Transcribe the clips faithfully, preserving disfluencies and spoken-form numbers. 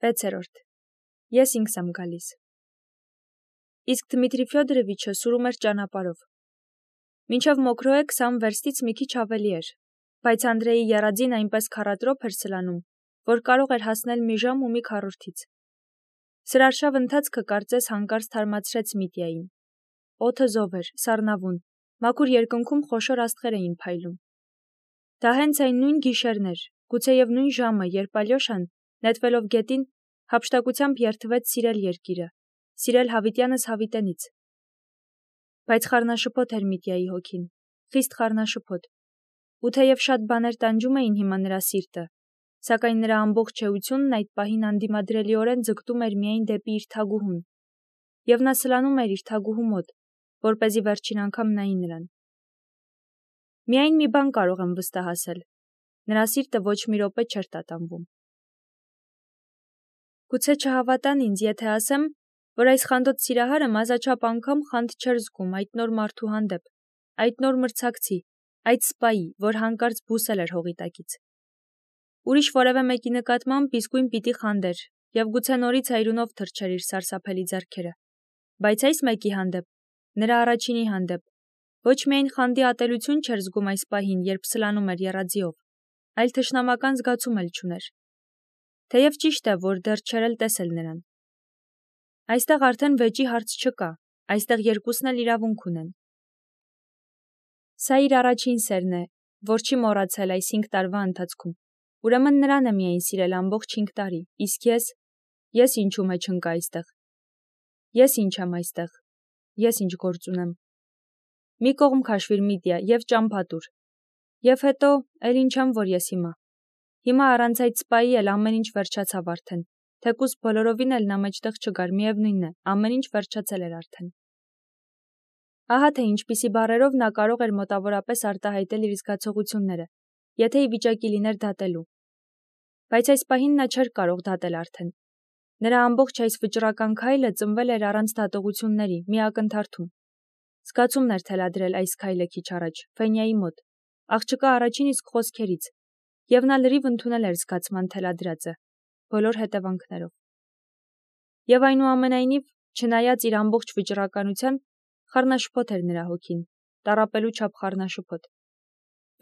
վեցերորդ. Ես ինքս եմ գալիս։ Իսկ Դմիտրի Ֆյոդորովիչը սուրում էր ճանապարհով։ Մինչև Մոկրոյե քսան վերստից մի քիչ ավելի էր, բայց Անդրեի եռաձին այնպես քառատրոփ էր սլանում, որ կարող էր հասնել մի ժամ ու մի քառորդից։ Սրարշավ ընթացքը կարծես հանկարծ թարմացրեց Միտյային։ Օդը զով էր, սառնավուն, մաքուր երկնքում խոշոր աստղեր էին փայլում։ Դա հենց այն նույն գիշերն էր, գուցեև նույն ժամը, երբ Ալյոշան, նետվելով գետին, հափշտակությամբ երդվեց սիրել երկիրը, սիրել հավիտյանս հավիտենից։ Բայց խառնաշփոթ էր Միտյայի հոգին, խիստ խառնաշփոթ, ու թեև շատ բաներ տանջում էին հիմա նրա սիրտը, սակայն նրա ամբողջ էությունն այդ պահին անդիմադրելիորեն ձգտում էր միայն դեպի իր թագուհուն, և նա սլանում էր իր թագուհու մոտ, որպեսզի վերջին անգամ նայի նրան։ Միայն մի բան կարող եմ վստահասել. նրա սիրտը ոչ մի րոպե չէր տատանվում։ Գուցե չհավատան ինձ, եթե ասեմ, որ այս խանդոտ սիրահարը մազաչափ անգամ խանդ չէր զգում այդ նոր մարդու հանդեպ, այդ նոր մրցակցի, այդ սպայի, որ հանկարծ բուսել էր հողի տակից։ Ուրիշ որևէ մեկի նկատմամբ իսկույն պիտի խանդեր և գուցե նորից այրունով թրջեր իր սարսափելի ձեռքերը, բայց այս մեկի հանդեպ, նրա առաջինի հանդեպ, ոչ միայն խանդի ատելություն չէր զգում այս պահին, երբ սլանում էր եռաձիով, այլ թշնամական զգացում էլ չուներ։ Թեև ճիշտ է, որ դեռ չէր էլ տեսել նրան։ Այստեղ արդեն վեճի հարց չկա, այստեղ երկուսն էլ իրավունք ունեն։ Սա իր առաջին սերն է, որ չի մոռացել այս հինգ տարվա ընթացքում, ուրեմն նրան է միայն սիրել ամբողջ հինգ տարի, իսկ ես, ես ինչու մեջ ընկա այստեղ։ Ես ինչ եմ այստեղ, ես ինչ գործ ունեմ։ Մի կողմ քաշվիր Միտյա և ճամփա տուր։ Եվ հետո, էլ ինչ եմ, որ ես հիմա։ Հիմա առանց այդ սպայի էլ ամեն ինչ վերջացավ արդեն, թեկուզ բոլորովին էլ նա մեջտեղ չգար, միևնույն է, ամեն ինչ վերջացել էր արդեն։ Ահա թե ինչպիսի բառերով նա կարող էր մոտավորապես արտահայտել իր զգացողությունները, եթե ի վիճակի լիներ դատելու։ Բայց այս պահին նա չէր կարող դատել արդեն։ Նրա ամբողջ այս վճռական քայլը ծնվել էր առանց դատողությունների, մի ակնթարթում։ Զգացումն էր թելադրել այս քայլը քիչ առաջ, Ֆենյայի մոտ, աղջկա առաջին իսկ խոսքերից, և նա լրիվ ընդունել էր զգացման թելադրածը, բոլոր հետևանքներով։ Եվ այնուամենայնիվ, չնայած իր ամբողջ վճռականության, խառնաշփոթ էր նրա հոգին, տառապելու չափ խառնաշփոթ։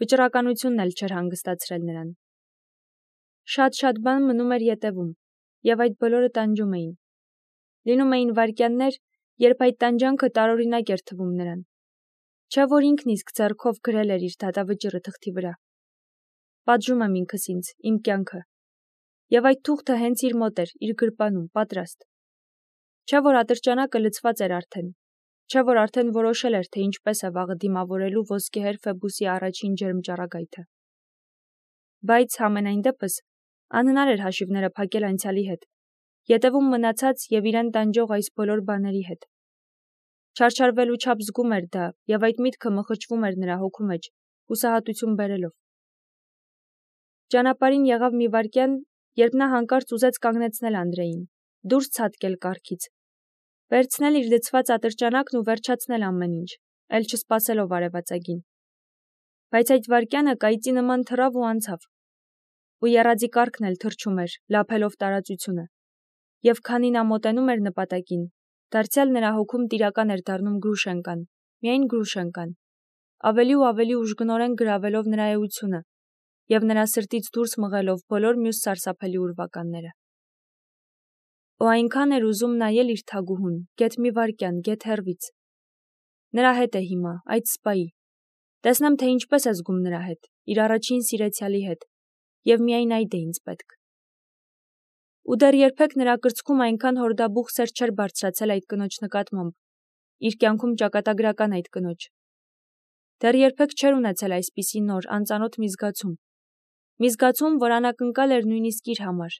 Վճռականությունն էլ չէր հանգստացրել նրան։ Շատ-շատ բան մնում էր ետևում, և այդ բոլորը տանջում էին։ Լինում էին վայրկյաններ, երբ այդ տանջանքը տարօրինակ էր թվում նրան։ Չէ՞ որ ինքն իսկ ձեռքով գրել էր իր դատավճիռը թղթի վրա։ Պատժում եմ ինքս ինձ, իմ կյանքը։ Եվ այդ թուղթը հենց իր մոտ էր, իր գրպանում, պատրաստ։ Չէ՞ որ ատրճանակը լցված էր արդեն։ Չէ՞ որ արդեն որոշել էր, թե ինչպես է վաղը դիմավորելու ոսկեհեր Ֆեբուսի առաջին ջերմ ճառագայթը։ Բայց, համենայն դեպս, անհնար էր հաշիվները փակել անցյալի հետ, ետևում մնացած և իրեն տանջող այս բոլոր բաների հետ։ Չարչարվելու չափ զգում էր դա, և այդ միտքը մխճվում էր նրա հոգու մեջ, հուսահատություն բերելով։ Ճանապարհին եղավ մի վայրկյան, երբ նա հանկարծ ուզեց կանգնեցնել Անդրեին, դուրս ցատկել կառքից, վերցնել իր լցված ատրճանակն ու վերջացնել ամեն ինչ, էլ չսպասելով արևածագին։ Բայց այդ վայրկյանը կայծի նման թռավ ու անցավ։ Ու եռաձի կառքն էլ թռչում էր, լափելով տարածությունը։ Եվ քանի նա մոտենում էր նպատակին, դարձյալ նրա հոգում տիրական էր դառնում Գրուշենկան, միայն Գրուշենկան, ավելի ու ավելի ուժգնորեն գրավելով նրա էությունը և նրա սրտից դուրս մղելով բոլոր մյուս սարսափելի ուրվականները։ Ու այնքան էր ուզում նայել իր թագուհուն, գեթ մի վայրկյան, գեթ հեռվից։ Նրա հետ է հիմա, այդ սպայի։ Տեսնեմ, թե ինչպես է զգում նրա հետ, իր առաջին սիրեցյալի հետ, և միայն այդ է ինձ պետք։ Ու դեռ երբեք նրա կրծքում այնքան հորդաբուխ սեր չէր բարձրացել այդ կնոջ նկատմամբ, իր կյանքում ճակատագրական այդ կնոջ։ Դեռ երբեք չէր ունեցել այսպիսի նոր, անծանոթ մի զգացում։ Մի զգացում, որ անակնկալ էր նույնիսկ իր համար։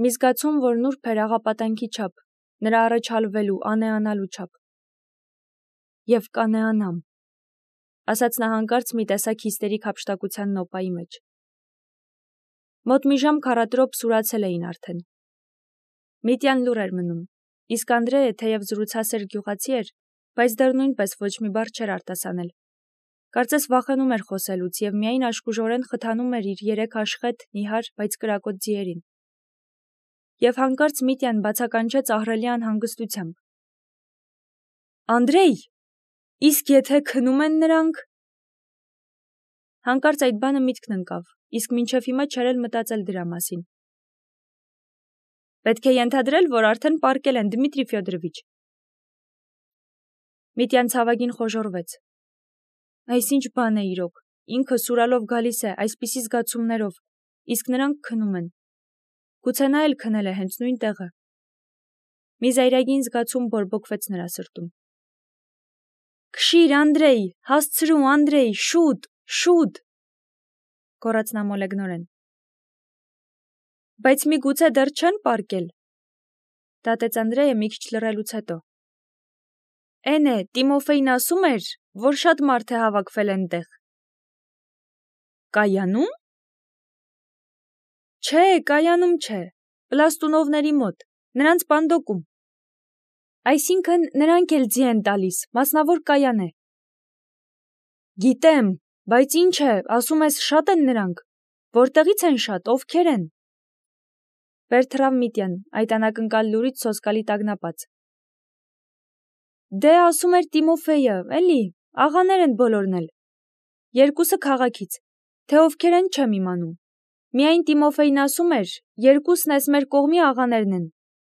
Մի զգացում, որ նուրբ էր աղապատանքի չափ, նրա առաջ հալվելու, անեանալու չափ։ Եվ կանեանամ, ասաց նա հանկարծ մի տեսակ հիստերիկ հափշտակության նոպայի մեջ։ Մոտ մի ժամ քառատրոփ սուրացել էին արդեն։ Միտյան լուռ էր մնում, իսկ Անդրեը, թեև զրուցասեր գյուղացի էր, բայց դեռ նույնպես ոչ մի բառ չէր արտասանել։ Կարծես վախենում էր խոսելուց և միայն աշխուժորեն խթանում էր իր երեք աշխետ, նիհար, բայց կրակոտ ձիերին։ Եվ հանկարծ Միտյան բացականչեց ահռելի անհանգստությամբ. Անդրեյ, իսկ եթե քնում են նրանք… Հանկարծ այդ բանը միտքն ընկավ, իսկ մինչև հիմա չէր էլ մտածել դրա մասին։ Պետք է ենթադրել, որ արդեն պառկել են, Դմիտրի Ֆյոդորովիչ։ Միտյան ցավագին խոժոռվեց։ Այս ինչ բան է իրոք, ինքը սուրալով գալիս է, այսպիսի զգացումներով, իսկ նրանք քնում են։ Գուցե նա էլ քնել է հենց նույն տեղը։ Մի զայրագին զգացում բորբոքվեց նրա սրտում։ Քշիր, Անդրեյ, հասցրու, Անդրեյ, շուտ, շուտ, գոռաց նա մոլեգնորեն։ Բայց միգուցե դեռ չեն պառկել, դատեց Անդրեյը մի քիչ լռելուց հետո։ Էն է, Տիմոֆեյն ասում էր, որ շատ մարդ է հավաքվել այնտեղ։ Կայանում։ Չէ, կայանում չէ, Պլաստունովների մոտ, նրանց պանդոկում։ Այսինքն նրանք էլ ձի են տալիս, մասնավոր կայան է։ Գիտեմ, բայց ինչ է, ասում ես շատ են նրանք, որտեղից են շատ, ովքեր են։ Վեր թռավ Միտյան, այդ անակնկալ լուրից սոսկալի տագնապած։ Դե ասում էր Տիմոֆեյը, էլի, աղաներ են բոլորն էլ։ Երկուսը քաղաքից, թե ովքեր են չեմ իմանում։ Միայն Տիմոֆեյն ասում էր, երկուսն էս մեր կողմի աղաներն են,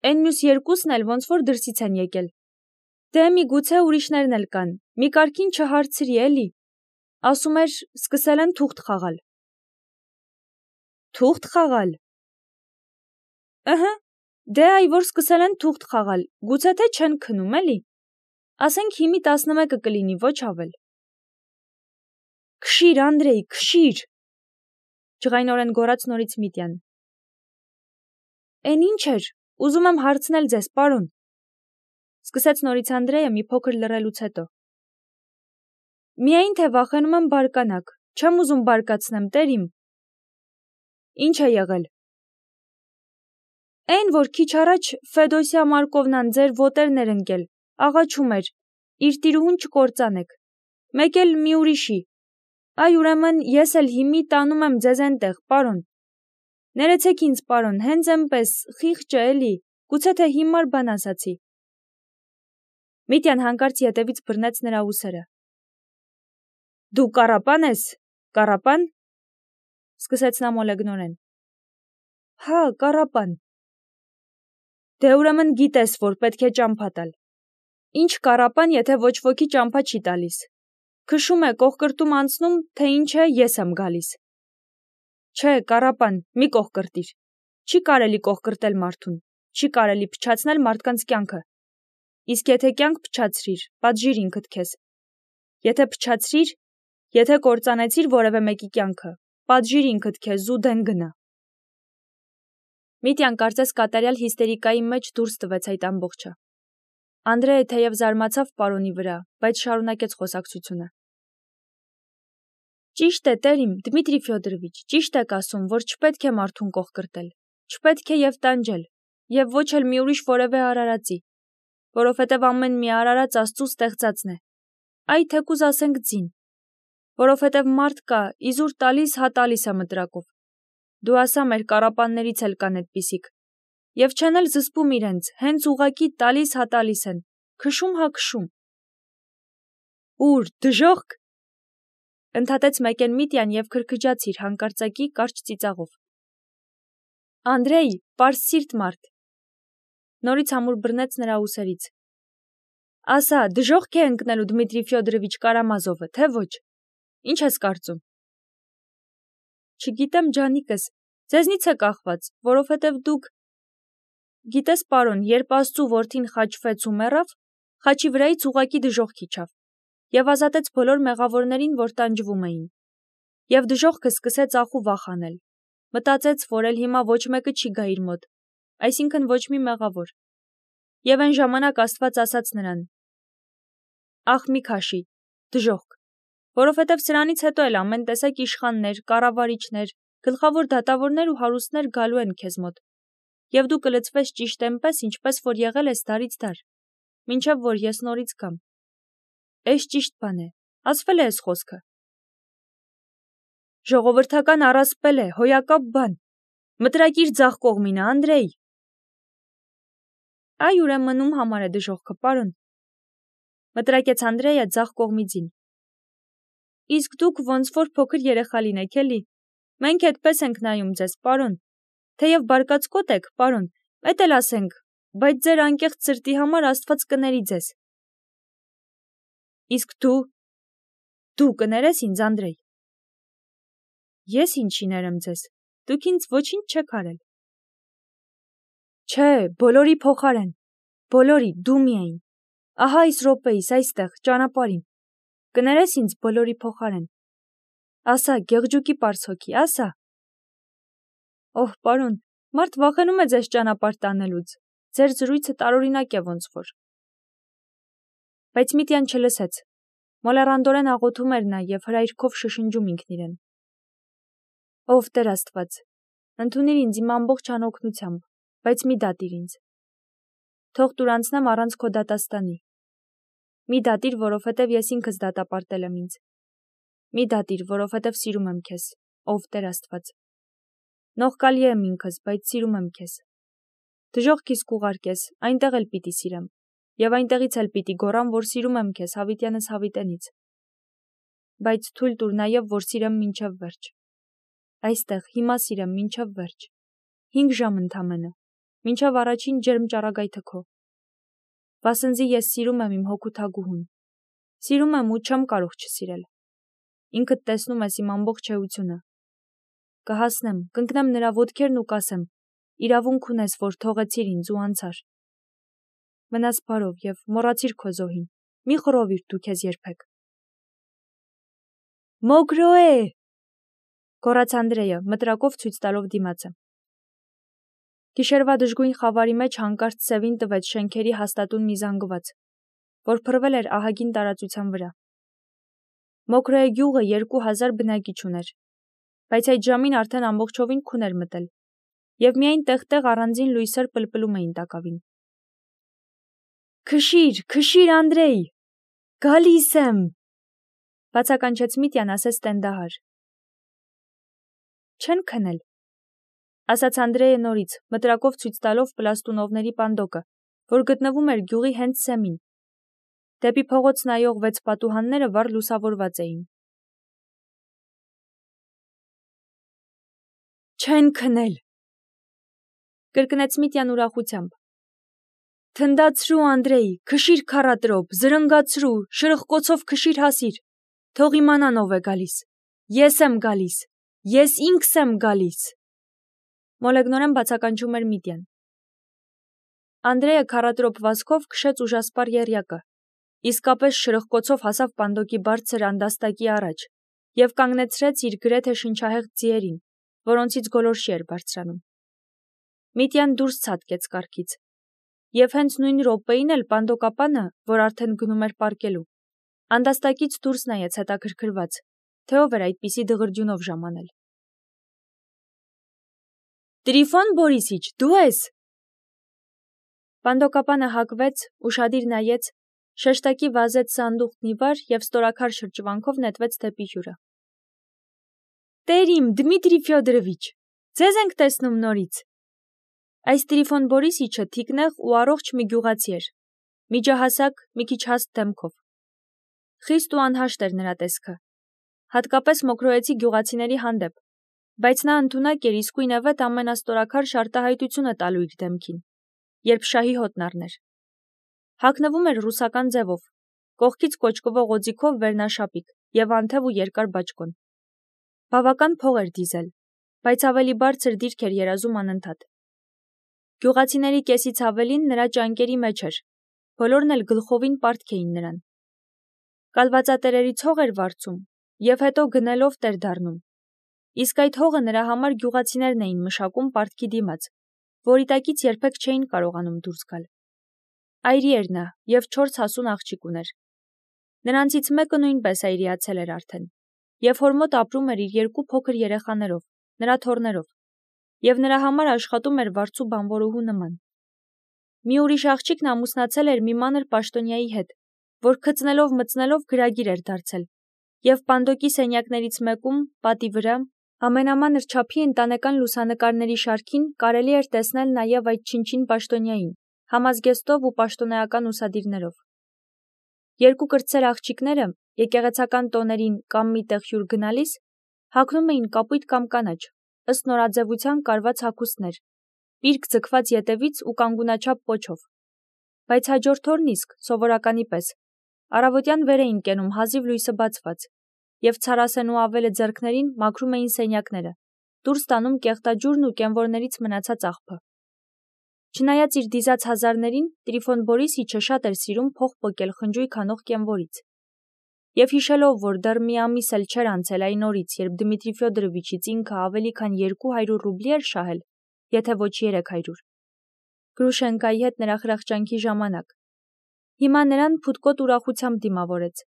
են մյուս երկուսն էլ ոնց որ դրսից են եկել։ Դե միգուցե ուրիշներն էլ կան, մի կարգին չհարցրի, էլի։ Ասում էր, սկսել են թուղթ խաղալ։ Թուղթ խաղալ։ Ըհը, դե այ որ սկսել են թուղթ խաղալ, գուցե թե չեն քնում, էլի։ Ասենք հիմի տասնմեկը կլինի, ոչ ավել։ Քշիր, Անդրեյ, քշիր, ջղայնորեն գոռաց նորից Միտյան։ Էն ինչ էր, ուզում եմ հարցնել ձեզ, պարոն, սկսեց նորից Անդրեյը մի փոքր լռելուց հետո։ Միայն թե վախենում եմ բարկանաք, չեմ ուզում բարկացնեմ, տեր իմ։ Ինչ է եղել։ Էն որ քիչ առաջ Ֆեդոսիա Մարկովնան ձեր ոտերն էր ընկել, աղաչում էր, իր տիրուհուն չկործանեք, մեկ էլ մի ուրիշի։ Այ ուրեմն ես էլ հիմի տանում եմ ձեզ այնտեղ, պարոն։ Ներեցեք ինձ, պարոն, հենց էնպես, խիղճը էլի, գուցե թե հիմար բան ասացի։ Միտյան հանկարծ ետևից բռնեց նրա ուսերը։ Դու կառապան ես, կառապան, սկսեց նա մոլեգնորեն։ Հա, կառապան։ Դե ուրեմն գիտես, որ պետք է ճամփա տալ։ Ինչ կառապան, եթե ոչ ոքի ճամփա չի տալիս։ Քշում է կողկրտում անցնում, թե ինչ է, ես եմ գալիս։ Չէ, կառապան, մի կողկրտիր։ Չի կարելի կողկրտել մարդուն, չի կարելի փչացնել մարդկանց կյանքը։ Իսկ եթե կյանք փչացրիր, պատժիր ինքդ քեզ։ Եթե փչացրիր, եթե կործանեցիր որևէ մեկի կյանքը, պատժիր ինքդ քեզ ու դեն գնա։ Միտյան կարծես կատարյալ հիստերիկայի մեջ դուրս տվեց այդ ամբողջը։ Անդրեյը թեև զարմացավ պարոնի վրա, բայց շարունակեց խոսակցությունը։ Ճիշտ է, տերիմ, Դմիտրի Ֆյոդորովիչ, ճիշտ եք ասում, որ չպետք է մարդուն կողկրտել, չպետք է եւ տանջել, եւ ոչ էլ մի ուրիշ որևէ արարածի, որովհետեւ ամեն մի արարած Աստծո ստեղծածն է։ Այ թեկուզ ասենք ձին, որովհետեւ մարդ կա, իզուր տալիս, հա տալիս է մտրակով։ Դու ասա մեր կառապաններից էլ կան այդպիսիք։ Եվ չեն էլ զսպում իրենց, հենց ուղակի տալիս հա տալիս են, քշում հա քշում։ Ուր, դժոխք, ընդհատեց մեկեն Միտյան եւ քրքջաց իր հանկարծակի կարճ ծիծաղով։ Անդրեյ, պարզ սիրտ մարդ։ Նորից համուր բռնեց նրա ուսերից։ Ասա, դժոխք է ընկնելու Դմիտրի Ֆյոդորովիչ Կարամազովը, թե ոչ։ Ինչ ես կարծում։ Չգիտեմ, ջանիկս, ձեզնից է կախված, որովհետև դուք… Գիտես, պարոն, երբ Աստծու որդին խաչվեց ու մեռավ, խաչի վրայից ուղակի դժոխք իջավ, եւ ազատեց բոլոր մեղավորներին, որ տանջվում էին։ Եվ դժոխքը սկսեց ախ ու վախ անել։ Մտածեց, որ էլ հիմա ոչ մեկը չի գա իր մոտ, այսինքն ոչ մի մեղավոր։ Եվ այն ժամանակ Աստված ասաց նրան. Ախ մի քաշի, դժոխք, որովհետև սրանից հետո էլ ամեն տեսակ իշխաններ, կառավարիչներ, գլխավոր դատավորներ ու հարուստներ գալու են քեզ մոտ, եւ դու կլծվես ճիշտ այնպես, ինչպես որ եղել ես դարից դար, մինչև որ ես նորից գամ։ Էս ճիշտ բան է, ասվել է այս խոսքը։ Ժողովրդական առասպել է, հոյակապ բան։ Մտրակիր ձախ կողմինը, Անդրեյ։ Այ ուրեմն ում համար է դժողքը, պարոն, մտրակեց Անդրեյը ձախ կողմիցին։ Իսկ դուք ոնց որ փոքր երեխա լինեք, էլի։ Մենք այդպես ենք նայում ձեզ, պարոն, թեև բարկացկոտ եք, պարոն, էդ էլ ասենք, բայց ձեր անկեղծ սրտի համար Աստված կների ձեզ։ Իսկ դու, դու կներես ինձ, Անդրեյ։ Ես ինչի ներեմ ձեզ, դուք ինձ ոչինչ չեք արել։ Չէ, բոլորի փոխարեն, բոլորի, դու միայն, ահա այս րոպեիս, այստեղ, ճանապարհին, կներես ինձ բոլորի փոխարեն։ Ասա, գեղջուկի պարսոքի, ասա։ Օհ, պարոն, մարդ վախենում է ձեզ ճանապարհ տանելուց, ձեր զրույցը տարօրինակ է ոնց որ։ Բայց Միտյան չլսեց, մոլեռանդորեն աղոթում էր նա և հրայրքով շշնջում ինքն իրեն։ Ով Տեր Աստված, ընդունիր ինձ իմ ամբողջ անօգնությամբ, բայց մի դատիր ինձ։ Թող դուր անցնեմ առանց քո դատաստանի։ Մի դատիր, որովհետև ես ինքս դատապարտել եմ ինձ։ Մի դատիր, որովհետև սիրում եմ քեզ, ով Տեր Աստված։ Նողկալի եմ ինքս, բայց սիրում եմ քեզ։ Դժողքիս կուղարկես, այնտեղ էլ պիտի սիրեմ, և այնտեղից էլ պիտի գոռամ, որ սիրում եմ քեզ հավիտյանս հավիտենից։ Բայց թույլ տուր նաև, որ սիրեմ մինչև վերջ։ Այստեղ, հիմա սիրեմ մինչև վերջ։ Հինգ ժամ ընդամենը, մինչև առաջին ջերմ ճառագայթը քո։ Վասնզի ես սիրում եմ իմ հոգու թագուհուն։ Սիրում եմ ու չեմ կարող չսիրել։ Ինքդ տեսնում ես իմ ամբողջ էությունը։ Կհասնեմ, կընկնեմ նրա ոտքերն ու կասեմ. իրավունք ունես, որ թողեցիր ինձ ու անցար։ Մնաս բարով և մոռացիր քո զոհին, մի խռովիր դու քեզ երբեք։ Մոգրոե, գոռաց Անդրեյը, մտրակով ցույց տալով դիմացը։ Գիշերվա դժգույն խավարի մեջ հանկարծ սևին տվեց շենքերի հաստատուն մի զանգված, որ փռվել էր ահագին տարածության վրա։ Մոկրոյե գյուղը երկու հազար բնակիչ ուներ, բայց այդ ժամին արդեն ամբողջովին քուն էր մտել, և միայն տեղ-տեղ առանձին լույսեր պլպլում էին տակավին։ Քշիր, քշիր, Անդրեյ, գալիս եմ, բացականչեց Միտյան ասես տենդահար։ Չեն քնել, ասաց Անդրեյը նորից, մտրակով ցույց տալով պլաստունովների պանդոկը, որ գտնվում էր գյուղի հենց սեմին։ Դեպի փողոց նայող վեց պատուհանները վառ լուսավորված էին։ Չեն քնել, կրկնեց Միտյան ուրախությամբ։ Թնդացրու, Անդրեյ, քշիր քառատրոպ, զրնգացրու, շրխկոցով քշիր հասիր, թող իմանան ով է գալիս, ես եմ գալիս, ես ինքս եմ գալիս, մոլեգնորեն բացականչում էր Միտյան։ Անդրեյը քառատրոպ վազքով քշեց ուժասպառ եռյակը, իսկապես շրխկոցով հասավ պանդոկի բարձր անդաստակի առաջ և կանգնեցրեց իր գրեթե շնչահեղձ ձիերին, որոնցից գոլորշի էր բարձրանում։ Միտյան դուրս ցատկեց կառքից, և հենց նույն րոպեին էլ պանդոկապանը, որ արդեն գնում էր պառկելու, անդաստակից դուրս նայեց հետաքրքրված, թե ով էր այդպիսի դղրդյունով ժամանել։ Տրիֆոն Բորիսիչ, դու ես։ Պանդոկապանը հակվեց, ուշադիր նայեց, շեշտակի վազեց սանդուղքն ի վար և ստորաքար շրջվանքով նետվեց դեպի հյուրը։ Տեր իմ, Դմիտրի Ֆյոդորովիչ, ձեզ ենք տեսնում նորից։ Այս Տրիֆոն Բորիսիչը թիկնեղ ու առողջ մի գյուղացի էր, միջահասակ, մի քիչ հաստ դեմքով։ Խիստ ու անհաշտ էր նրա տեսքը, հատկապես մոկրոյեցի գյուղացիների հանդեպ, բայց նա ընդունակ էր իսկույնևեթ ամենաստորաքար շարտահայտությունը տալու իր դեմքին, երբ շահի հոտն առներ։ Հագնվում էր ռուսական ձևով, կողքից կոճկվող օձիքով վերնաշապիկ և անթև ու երկար բաճկոն։ Բավական փող էր դիզել, բայց ավելի բարձր դիրք էր երազում անընդհատ։ Գյուղացիների կեսից ավելին նրա ճանկերի մեջ էր, բոլորն էլ գլխովին պարտք էին նրան։ Կալվածատերերից հող էր վարձում և հետո գնելով տեր դառնում։ Իսկ այդ հողը նրա համար գյուղացիներն էին մշակում պարտքի դիմաց, որի տակից երբեք չէին կարողանում դուրս գալ։ Այրի էր նա և չորս հասուն աղջիկ ուներ։ Նրանցից մեկը նույնպես այրիացել էր արդեն, և հոր մոտ ապրում էր իր երկու փոքր երեխաներով, նրա թոռներով, և նրա համար աշխատում էր վարձու բանվորուհու նման։ Մի ուրիշ աղջիկն ամուսնացել էր մի մանր պաշտոնյայի հետ, որ քծնելով-մծնելով գրագիր էր դարձել, և պանդոկի սենյակներից մեկում, պատի վրա, ամենամանր չափի ընտանեկան լուսանկարների շարքին կարելի էր տեսնել նաև այդ չինչին պաշտոնյային, համազգեստով ու պաշտոնեական ուսադիրներով։ Երկու կրտսեր աղջիկները եկեղեցական տոներին կամ մի տեղ հյուր գնալիս հագնում էին կապույտ կամ կանաչ, ըստ նորաձևության կարված հագուստներ, պիրկ ձգված ետևից ու կանգունաչափ պոչով, բայց հաջորդ օրն իսկ, սովորականի պես, առավոտյան վեր էին կենում հազիվ լույսը բացված, և ցարասեն ու ավելը ձեռքներին մաքրում էին սենյակները, դուրս տանում կեղտաջուրն ու կենվորներից մնացած աղբը։ Չնայած իր դիզած հազարներին, Տրիֆոն Բորիսիչը շատ էր սիրում փող պոկել խնջույք անող կենվորից։ Եվ հիշելով, որ դեռ մի ամիս էլ չէր անցել այն օրից, երբ Դմիտրի Ֆյոդորովիչից ինքը ավելի քան երկու հարյուր ռուբլի էր շահել, եթե ոչ երեք հարյուր, Գրուշենկայի հետ նրա խրախճանքի ժամանակ, հիմա նրան փութկոտ ուրախությամբ դիմավորեց,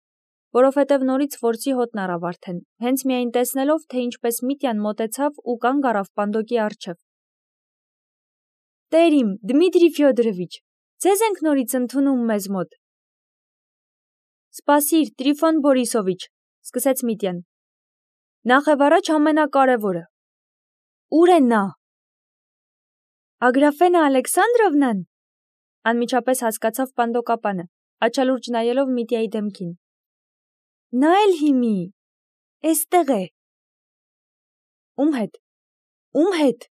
որովհետև նորից որսի հոտն առավ արդեն, հենց միայն տեսնելով, թե ինչպես Միտյան մոտեցավ ու կանգ առավ պանդոկի առջև։ Տեր իմ, Դմիտրի Ֆյոդորովիչ, ձեզ ենք նորից ընդունում մեզ մոտ։ Սպասիր, Տրիֆոն Բորիսովիչ, սկսեց Միտյան։ Նախև առաջ ամենակարևորը։ Ուր է նա։ Ագրաֆենա Ալեքսանդրովնան, անմիջապես հասկացավ պանդոկապանը, աչալուրջ նայելով Միտյայի դեմքին։ Նա էլ հիմի, էստեղ է։ Ում հետ։ Ում հետ։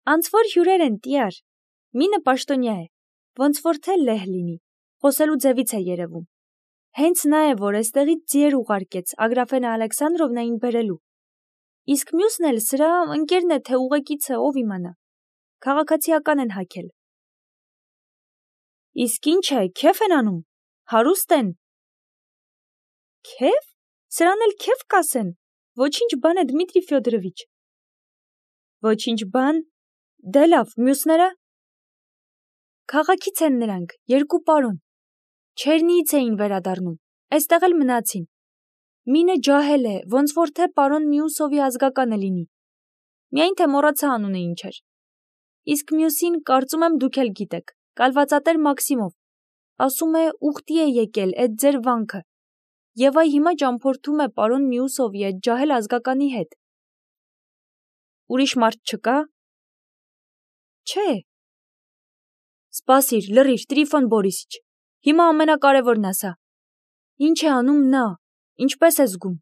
Անց որ հյուրեր են, տյար, մինը պաշտոնյա է, ոնց որ թե լեհ լինի, խոսելու ձևից է երևում։ Հենց նա է, որ էստեղից ձիեր ուղարկեց Ագրաֆենա Ալեքսանդրովնային բերելու։ Իսկ մյուսն էլ սրա ընկերն է, թե ուղեկիցը, ով իմանա։ Քաղաքացիական են հագել։ Իսկ ինչ է, քեֆ են անում, հարուստ են։ Քեֆ։ Սրան էլ քեֆ կասեն, ոչինչ բան է Դմիտրի Ֆյոդորովիչ։ Ոչինչ բան։ Դե լավ, մյուսները։ Քաղաքից են նրանք, երկու պարոն։ Չերնիից էին վերադառնում, այստեղ էլ մնացին։ Մինը ջահել է, ոնց որ թե պարոն Միուսովի ազգականը լինի։ Միայն թե մոռացա անունը ինչ էր։ Իսկ մյուսին կարծում եմ դուք էլ գիտեք, կալվածատեր Մաքսիմով։ Ասում է ուխտի է եկել էդ ձեր վանքը։ Եվ այ հիմա ճամփորդում է պարոն Միուսովի այդ ջահել ազգականի հետ։ Ուրիշ մարդ չկա։ Չէ։ Սպասիր, լռիր, Տրիֆոն Բորիսիչ, հիմա ամենակարևորն ասա։ Ինչ է անում նա, ինչպես է զգում։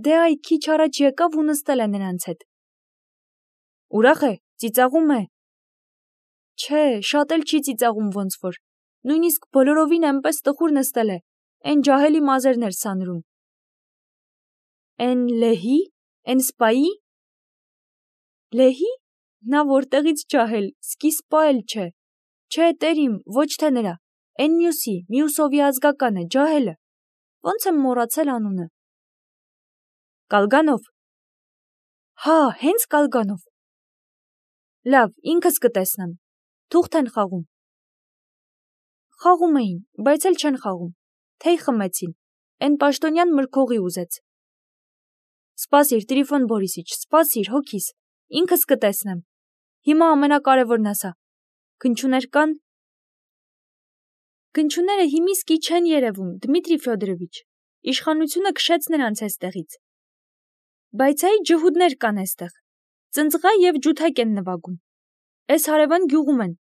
Դե այ քիչ առաջ եկավ ու նստել է նրանց հետ։ Ուրախ է, ծիծաղում է։ Չէ, շատ էլ չի ծիծաղում ոնց որ, նույնիսկ բոլորովին այնպես տխուր նստել է, այն ջահելի մազերն էր սանրում։ Էն լեհի, էն սպայի։ Լեհի։ Նա որտեղից ջահել, սկիսպա էլ չէ։ Չէ, տեր իմ, ոչ թե նրա, էն մյուսի, Միուսովի ազգականը, ջահելը։ Ոնց եմ մոռացել անունը։ Կալգանով։ Հա, հենց Կալգանով։ Լավ, ինքս կտեսնեմ։ Թուղթ են խաղում։ Խաղում էին, բայց էլ չեն խաղում։ Թեյ խմեցին։ Էն պաշտոնյան մրգողի ուզեց։ Սպասիր, Տրիֆոն Բորիսիչ, սպասիր, հոգիս, ինքս կտեսնեմ։ Հիմա ամենակարևորն ասա։ Քնչուներ կան։ Քնչուները հիմիսկի չեն երևում, Դմիտրի Ֆյոդորովիչ, իշխանությունը քշեց նրանց էստեղից։ Բայց այ ջհուդներ կան էստեղ, ծնծղա և ջութակ են նվագում։ Էս հարևան գյուղում են,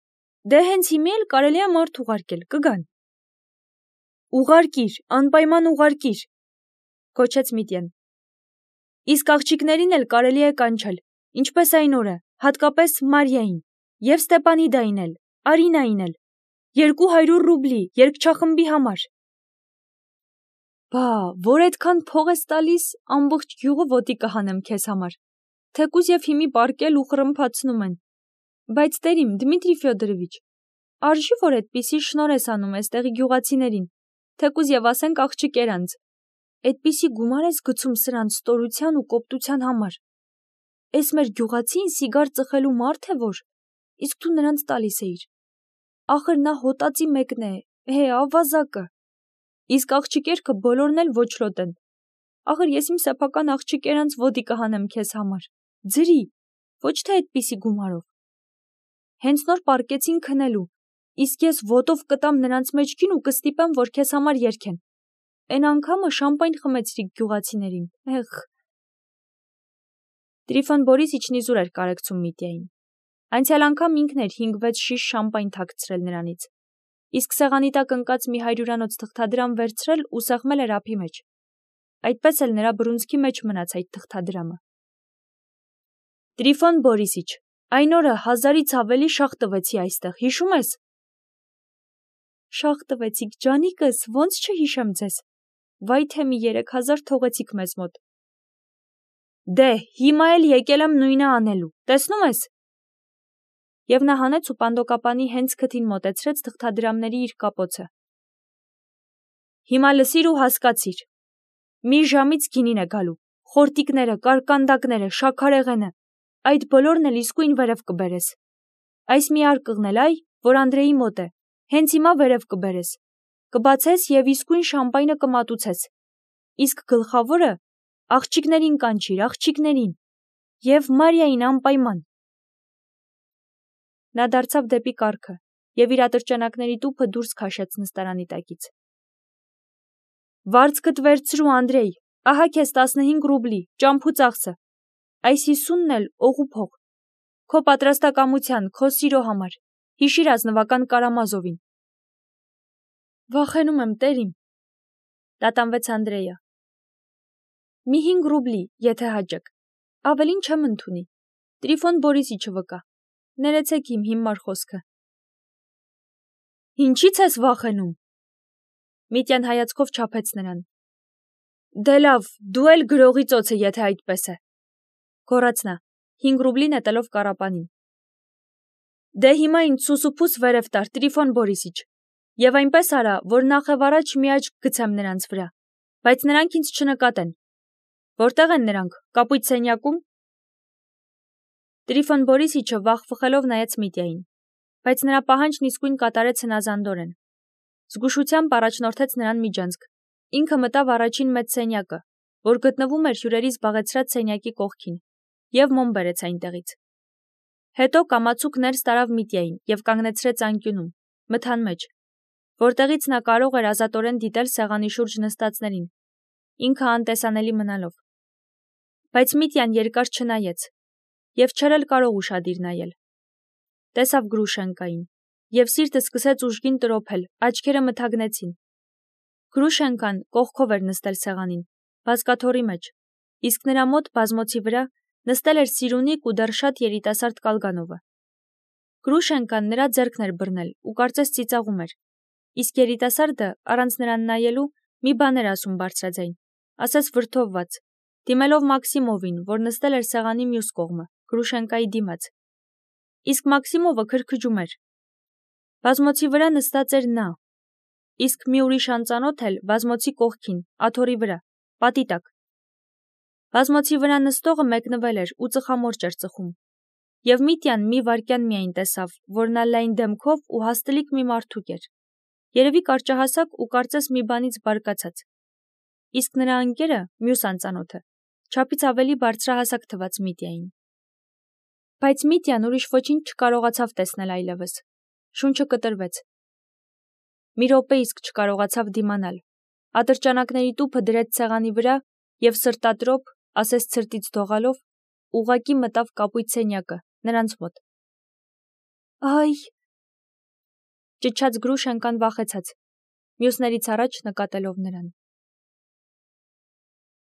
դե հենց հիմի էլ կարելի է մարդ ուղարկել, կգան։ Ուղարկիր, անպայման ուղարկիր, կոչեց Միտյան։ Իսկ աղջիկներին էլ կարելի է կանչել, ինչպես այն օրը, հատկապես Մարիային, և Ստեպանիդային էլ, Արինային էլ, երկու հարյուր ռուբլի, երգչախմբի համար։ Բա, որ այդքան փող ես տալիս, ամբողջ գյուղը ոտի կհանեմ քեզ համար, թեկուզ և հիմի պարկել ու խռմփացնում են։ Բայց տեր իմ, Դմիտրի Ֆյոդորովիչ, արժի որ այդպիսի շնոր ես անում էստեղի գյուղացիներին, թեկուզ և ասենք աղջիկեր անց, այդպիսի գումար ես գցում սրանց ստորության ու կոպտության համար։ Էս մեր գյուղացին սիգար ծխելու մարդ է որ, իսկ դու նրանց տալիս էիր։ Ախր նա հոտածի մեկն է, հե, ավազակը։ Իսկ աղջիկերքը բոլորն էլ ոչլոտ են։ Ախր ես իմ սեփական աղջիկերանց ոտի կհանեմ քեզ համար, ձրի, ոչ թե այդպիսի գումարով։ Հենց նոր պարկեցին քնելու, իսկ ես ոտով կտամ նրանց մեջքին ու կստիպեմ, որ քեզ համար երգեն։ Էն անգամը շամպայն խմեցրիք գյուղացիներին, էղ։ Տրիֆոն Բորիսիչն իզուր էր կարեկցում Միտյային։ Անցյալ անգամ ինքն էր հինգ-վեց շիշ շամպայն թաքցրել նրանից, իսկ սեղանի տակ ընկած մի հարյուրանոց թղթադրամ վերցրել ու սեղմել էր ափի մեջ։ Այդպես էլ նրա բռունցքի մեջ մնաց այդ թղթադրամը։ Տրիֆոն Բորիսիչ, այն օրը հազարից ավելի շաղ տվեցի այստեղ, հիշում ես։ Շաղ տվեցիք, ջանիկս, ոնց չհիշեմ ձեզ։ Վայ թե մի երեք հազար թողեցիք մեզ մոտ։ Դե, հիմա էլ եկել եմ նույնը անելու, տեսնում ես։ Եվ նա հանեց ու պանդոկապանի հենց քթին մոտեցրեց թղթադրամների իր կապոցը։ Հիմա լսիր ու հասկացիր։ Մի ժամից գինին է գալու, խորտիկները, կարկանդակները, շաքարեղենը, այդ բոլորն էլ իսկույն վերև կբերես։ Այս մի արկղն էլ այ, որ Անդրեի մոտ է, հենց հիմա վերև կբերես, կբացես և իսկույն շամպայնը կմատուցես, իսկ գլխավորը աղջիկներին կանչիր, աղջիկներին, և Մարիային անպայման։ Նա դարձավ դեպի կառքը և իր ատրճանակների տուփը դուրս քաշեց նստարանի տակից։ Վարձքդ վերցրու, Անդրեյ, ահա քեզ տասնհինգ ռուբլի, ճամփու ծախսը, այս հիսունն էլ օղու փող, քո պատրաստակամության, քո սիրո համար, հիշիր ազնվական Կարամազովին։ Վախենում եմ, տերիմ, տատանվեց Անդրեյը։ Մի հինգ ռուբլի, եթե հաջիկ, ավելին չեմ ընդունի, Տրիֆոն Բորիսիչը վկա, ներեցեք իմ հիմար խոսքը։ Ինչի՞ց ես վախենում։ Միտյան հայացքով չափեց նրան։ Դե լավ, դու էլ գրողի ծոցը, եթե այդպես է, գոռաց նա, հինգ ռուբլի նետելով կառապանին։ Դե հիմա ինձ սուսուփուս վերև տար, Տրիֆոն Բորիսիչ, և այնպես արա, որ նախևառաջ մի աչք գցեմ նրանց վրա, բայց նրանք ինձ չնկատեն։ Որտեղ են նրանք, կապույտ սենյակում։ Տրիֆոն Բորիսիչը վախ-վխելով նայեց Միտյային, բայց նրա պահանջն իսկույն կատարեց հնազանդորեն։ Զգուշությամբ առաջնորդեց նրան միջանցք, ինքը մտավ առաջին մեծ սենյակը, որ գտնվում էր հյուրերի զբաղեցրած սենյակի կողքին, և մոմ բերեց այնտեղից։ Հետո կամացուկ ներս տարավ Միտյային և կանգնեցրեց անկյունում, մթան մեջ, որտեղից նա կարող էր ազատորեն դիտել սեղանի շուրջ նստածներին, ինքը անտեսանելի մնալով։ Բայց Միտյան երկար չնայեց, և չէր էլ կարող ուշադիր նայել։ Տեսավ Գրուշենկային, և սիրտը սկսեց ուժգին տրոփել, աչքերը մթագնեցին։ Գրուշենկան կողքով էր նստել սեղանին, բազկաթոռի մեջ, իսկ նրա մոտ բազմոցի վրա նստել էր Սիրունիկ ու դեռ շատ երիտասարդ Կալգանովը։ Գրուշենկան նրա ձեռքն էր բռնել ու կարծես ծիծաղում էր, իսկ երիտասարդը, առանց նրան նայելու, մի բան էր ասում բարձրաձայն, ասես վրդովված, դիմելով Մաքսիմովին, որ նստել էր սեղանի մյուս կողմը, Գրուշենկայի դիմաց։ Իսկ Մաքսիմովը քրքջում էր։ Բազմոցի վրա նստած էր նա, իսկ մի ուրիշ անծանոթ էլ բազմոցի կողքին, աթոռի վրա, պատի տակ։ Բազմոցի վրա նստողը մեկնվել էր ու ծխամորճ էր ծխում, և Միտյան մի վայրկյան միայն տեսավ, որ նա լայն դեմքով ու հաստլիկ մի մարդուկ էր, երևի կարճահասակ ու կարծես մի բանից բարկացած, իսկ նրա ընկերը, մյուս անծանոթը, չափից ավելի բարձրահասակ թվաց Միտյային։ Բայց Միտյան ուրիշ ոչինչ չկարողացավ տեսնել այլևս, շունչը կտրվեց։ Մի րոպե իսկ չկարողացավ դիմանալ, ատրճանակների տուփը դրեց սեղանի վրա և սրտատրոփ, ասես ցրտից դողալով, ուղղակի մտավ կապույտ սենյակը, նրանց մոտ։ Այ… ճչաց Գրուշենկան վախեցած, մյուսներից առաջ նկատելով նրան։